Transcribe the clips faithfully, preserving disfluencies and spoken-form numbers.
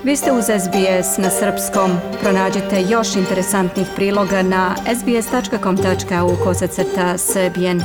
Vi ste uz S B S na srpskom. Pronađite još interesantnih priloga na sbs.com.au kosacrta srbijen.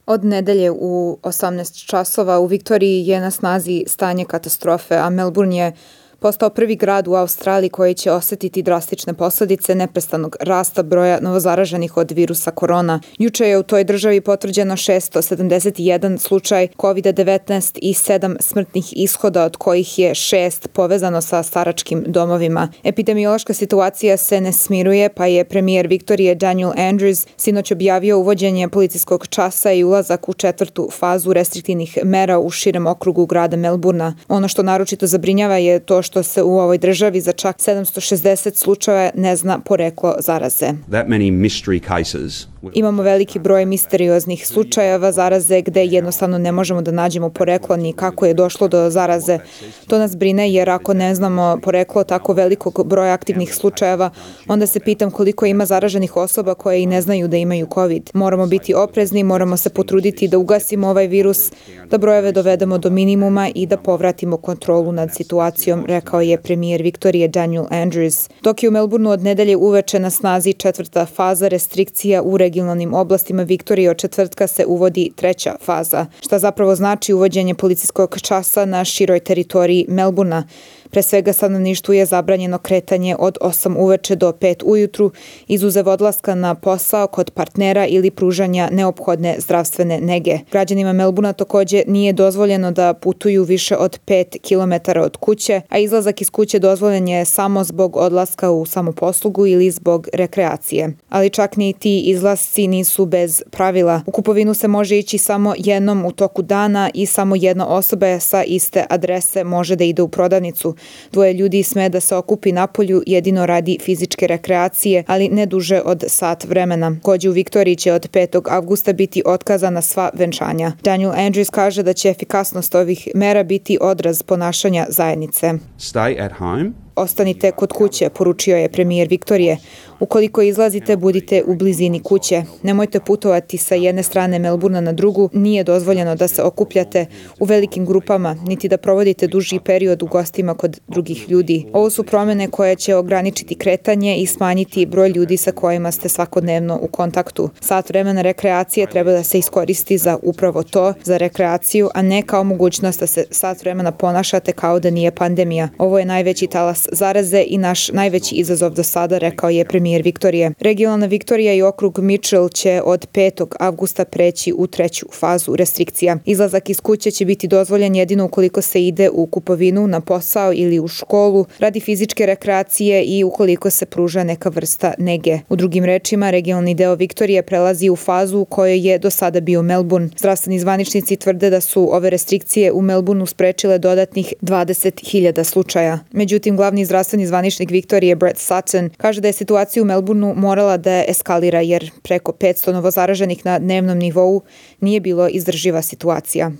Od nedelje u osamnaest časova u Viktoriji je na snazi stanje katastrofe, a Melbourne je postao prvi grad u Australiji koji će osjetiti drastične posljedice neprestanog rasta broja novozaraženih od virusa korona. Juče je u toj državi potvrđeno šesto sedamdeset jedan slučaj kovid devetnaest i sedam smrtnih ishoda, od kojih je šest povezano sa staračkim domovima. Epidemiološka situacija se ne smiruje, pa je premijer Viktorije Daniel Andrews sinoć objavio uvođenje policijskog časa i ulazak u četvrtu fazu restriktivnih mera u širem okrugu grada Melbourna. Ono što naročito zabrinjava je to što se u ovoj državi za čak sedamsto šezdeset slučajeva ne zna poreklo zaraze. That many mystery cases. Imamo veliki broj misterioznih slučajeva zaraze gde jednostavno ne možemo da nađemo poreklo ni kako je došlo do zaraze. To nas brine jer ako ne znamo poreklo tako velikog broja aktivnih slučajeva, onda se pitam koliko ima zaraženih osoba koje i ne znaju da imaju COVID. Moramo biti oprezni, moramo se potruditi da ugasimo ovaj virus, da brojeve dovedemo do minimuma i da povratimo kontrolu nad situacijom, rekao je premijer Viktorije Daniel Andrews. Dok je u Melbourneu od nedelje uveče na snazi četvrta faza restrikcija u regionalnim oblastima Viktorije, od četvrtka se uvodi treća faza, šta zapravo znači uvođenje policijskog časa na široj teritoriji Melbournea. Pre svega stanovništvu je zabranjeno kretanje od osam uveče do pet ujutru, izuzev odlaska na posao kod partnera ili pružanja neophodne zdravstvene nege. Građanima Melbournea također nije dozvoljeno da putuju više od pet kilometara od kuće, a izlazak iz kuće dozvoljen je samo zbog odlaska u samoposlugu ili zbog rekreacije. Ali čak ni ti izlasci nisu bez pravila. U kupovinu se može ići samo jednom u toku dana i samo jedna osoba sa iste adrese može da ide u prodavnicu. Dvoje ljudi sme da se okupi napolju jedino radi fizičke rekreacije, ali ne duže od sat vremena. Također u Viktoriji će od petog avgusta biti otkazana sva venčanja. Daniel Andrews kaže da će efikasnost ovih mera biti odraz ponašanja zajednice. Stay at home. Ostanite kod kuće, poručio je premijer Viktorije. Ukoliko izlazite, budite u blizini kuće. Nemojte putovati sa jedne strane Melbournea na drugu, nije dozvoljeno da se okupljate u velikim grupama, niti da provodite duži period u gostima kod drugih ljudi. Ovo su promjene koje će ograničiti kretanje i smanjiti broj ljudi sa kojima ste svakodnevno u kontaktu. Sat vremena rekreacije treba da se iskoristi za upravo to, za rekreaciju, a ne kao mogućnost da se sat vremena ponašate kao da nije pandemija. Ovo je najveći talas zaraze i naš najveći izazov do sada, rekao je premijer Viktorije. Regionalna Viktorija i okrug Mitchell će od petog avgusta preći u treću fazu restrikcija. Izlazak iz kuće će biti dozvoljen jedino ukoliko se ide u kupovinu, na posao ili u školu, radi fizičke rekreacije i ukoliko se pruža neka vrsta nege. U drugim rečima, regionalni deo Viktorije prelazi u fazu u kojoj je do sada bio Melbourne. Zdravstveni zvaničnici tvrde da su ove restrikcije u Melbourneu sprečile dodatnih dvadeset hiljada slučaja. Međutim, glavni zdravstveni zvaničnik Viktorije Brett Sutton kaže da je situacija u Melbourneu morala da eskalira jer preko petsto novozaraženih na dnevnom nivou nije bilo izdrživa situacija.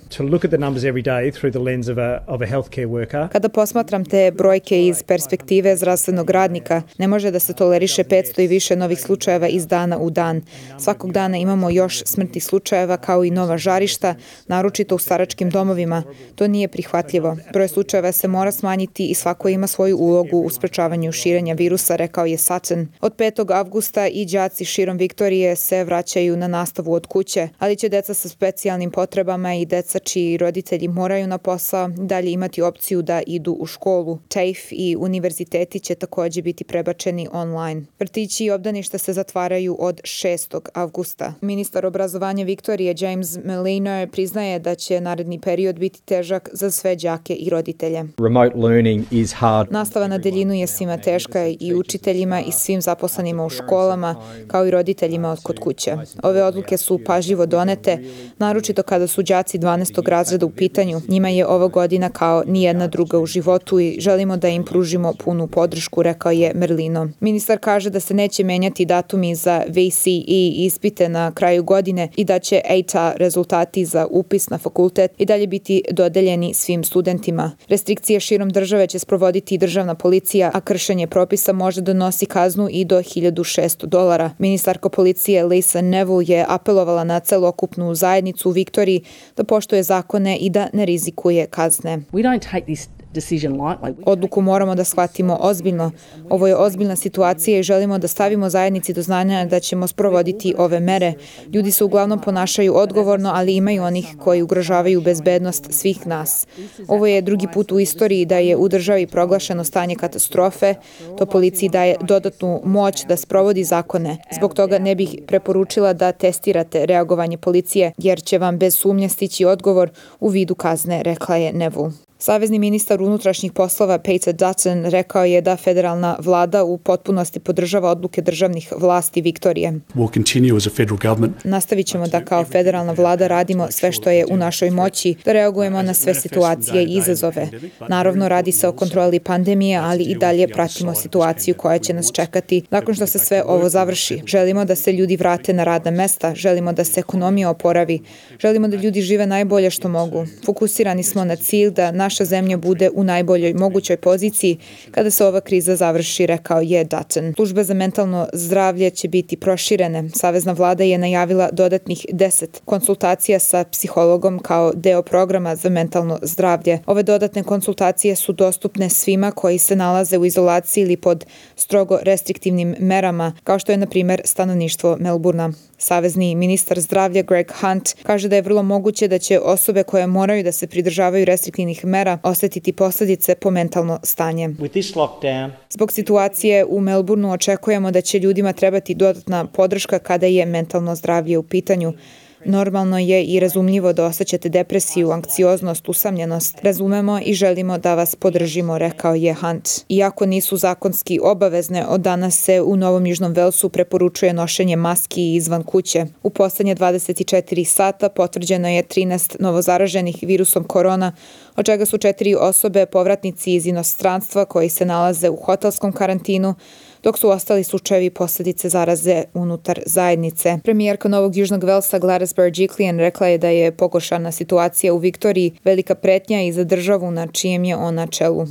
Kada posmatram te brojke iz perspektive zdravstvenog radnika, ne može da se toleriše petsto i više novih slučajeva iz dana u dan. Svakog dana imamo još smrtnih slučajeva kao i nova žarišta, naročito u staračkim domovima. To nije prihvatljivo. Broj slučajeva se mora smanjiti i svako ima svoju ulogu u sprečavanju širenja virusa, rekao je Sutton. Od petog avgusta i đaci širom Viktorije se vraćaju na nastavu od kuće, ali će deca sa specijalnim potrebama i deca čiji roditelji moraju na posao dalje imati opciju da idu u školu. T A F E i univerziteti će također biti prebačeni online. Vrtići i obdaništa se zatvaraju od šestog avgusta. Ministar obrazovanja Viktorije James Merlino priznaje da će naredni period biti težak za sve đake i roditelje. Remote learning is hard. Nastava na daljinu je svima teška i učiteljima i svim zaposlenima u školama, kao i roditeljima od kod kuće. Ove odluke su pažljivo donete, naročito kada su đaci dvanaestog razreda u pitanju. Njima je ova godina kao nijedna druga u životu i želimo da im pružimo punu podršku, rekao je Merlino. Ministar kaže da se neće menjati datumi za V C E ispite na kraju godine i da će A T A rezultati za upis na fakultet i dalje biti dodeljeni svim studentima. Restrikcije širom države će sprovoditi državni državna policija, a kršenje propisa može donosi kaznu i do hiljadu šesto dolara. Ministarka policije Lisa Neville je apelovala na celokupnu zajednicu u Viktoriji da poštuje zakone i da ne rizikuje kazne. We don't take this decision lightly. Odluku moramo da shvatimo ozbiljno. Ovo je ozbiljna situacija i želimo da stavimo zajednici do znanja da ćemo sprovoditi ove mere. Ljudi se uglavnom ponašaju odgovorno, ali imaju onih koji ugrožavaju bezbednost svih nas. Ovo je drugi put u istoriji da je u državi proglašeno stanje katastrofe. To policiji daje dodatnu moć da sprovodi zakone. Zbog toga ne bih preporučila da testirate reagovanje policije, jer će vam bez sumnje stići odgovor u vidu kazne, rekla je Neville. Savezni ministar unutrašnjih poslova Peter Dutton rekao je da federalna vlada u potpunosti podržava odluke državnih vlasti Viktorije. Nastavit ćemo da kao federalna vlada radimo sve što je u našoj moći, da reagujemo na sve situacije i izazove. Naravno, radi se o kontroli pandemije, ali i dalje pratimo situaciju koja će nas čekati nakon što se sve ovo završi. Želimo da se ljudi vrate na radna mesta, želimo da se ekonomija oporavi, želimo da ljudi žive najbolje što mogu. Fokusirani smo na cilj da naša zemlja bude u najboljoj mogućoj poziciji kada se ova kriza završi, rekao je Dutton. Službe za mentalno zdravlje će biti proširene. Savezna vlada je najavila dodatnih deset konsultacija sa psihologom kao deo programa za mentalno zdravlje. Ove dodatne konsultacije su dostupne svima koji se nalaze u izolaciji ili pod strogo restriktivnim merama, kao što je, na primjer, stanovništvo Melburna. Savezni ministar zdravlja Greg Hunt kaže da je vrlo moguće da će osobe koje moraju da se pridržavaju restriktivnih mera osetiti posljedice po mentalno stanje. Zbog situacije u Melbourneu očekujemo da će ljudima trebati dodatna podrška kada je mentalno zdravlje u pitanju. Normalno je i razumljivo da osjećate depresiju, anksioznost, usamljenost. Razumemo i želimo da vas podržimo, rekao je Hunt. Iako nisu zakonski obavezne, od danas se u Novom Južnom Velsu preporučuje nošenje maski izvan kuće. U poslednje dvadeset četiri sata potvrđeno je trinaest novozaraženih virusom korona, od čega su četiri osobe povratnici iz inostranstva koji se nalaze u hotelskom karantinu, dok su ostali slučajevi posljedice zaraze unutar zajednice. Premijerka Novog Južnog Velsa Gladys Berejiklian rekla je da je pogoršana situacija u Viktoriji velika pretnja i za državu na čijem je ona čelu.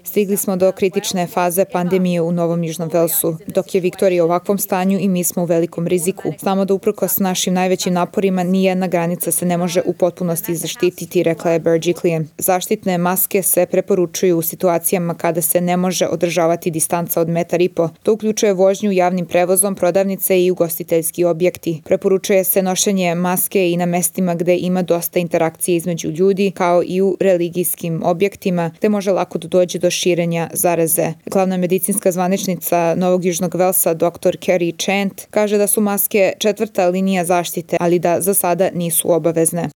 Stigli smo do kritične faze pandemije u Novom Južnom Velsu. Dok je Viktorija u ovakvom stanju i mi smo u velikom riziku. Znamo da uprkos našim najvećim naporima nijedna granica se ne može u potpunosti zaštititi, rekla je Berejiklian. Zaštitne maske se preporučuju u situacijama kada se ne može održavati distanca od metar i po. To uključuje vožnju javnim prevozom, prodavnice i ugostiteljski objekti. Preporučuje se nošenje maske i na mestima gde ima dosta interakcije između ljudi, kao i u religijskim objektima, gde može lako da dođe do širenja zaraze. Glavna medicinska zvaničnica Novog Južnog Velsa, doktor Kerry Chant, kaže da su maske četvrta linija zaštite, ali da za sada nisu obavezne.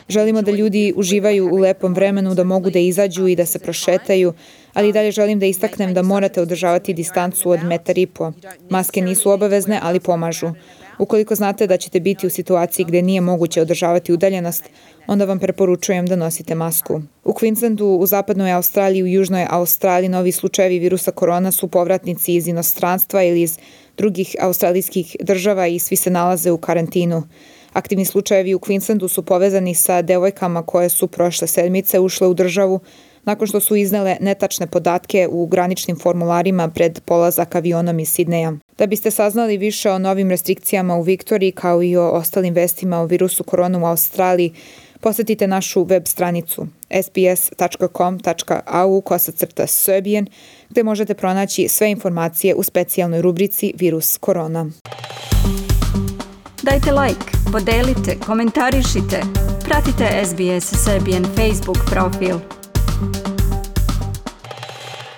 Želimo da ljudi uživaju u lepom vremenu, da mogu da izađu i da se prošetaju, ali dalje želim da istaknem da morate održavati distancu od metar i po. Maske nisu obavezne, ali pomažu. Ukoliko znate da ćete biti u situaciji gde nije moguće održavati udaljenost, onda vam preporučujem da nosite masku. U Queenslandu, u zapadnoj Australiji i u južnoj Australiji novi slučajevi virusa korona su povratnici iz inostranstva ili iz drugih australijskih država i svi se nalaze u karantinu. Aktivni slučajevi u Queenslandu su povezani sa devojkama koje su prošle sedmice ušle u državu nakon što su iznele netačne podatke u graničnim formularima pred polazak avionom iz Sidneja. Da biste saznali više o novim restrikcijama u Viktoriji kao i o ostalim vestima o virusu korona u Australiji, posetite našu web stranicu s b s tačka com tačka a u kosacrta Serbian, gde možete pronaći sve informacije u specijalnoj rubrici Virus korona. Dajte like, podelite, komentarišite, pratite S B S Serbian Facebook profil.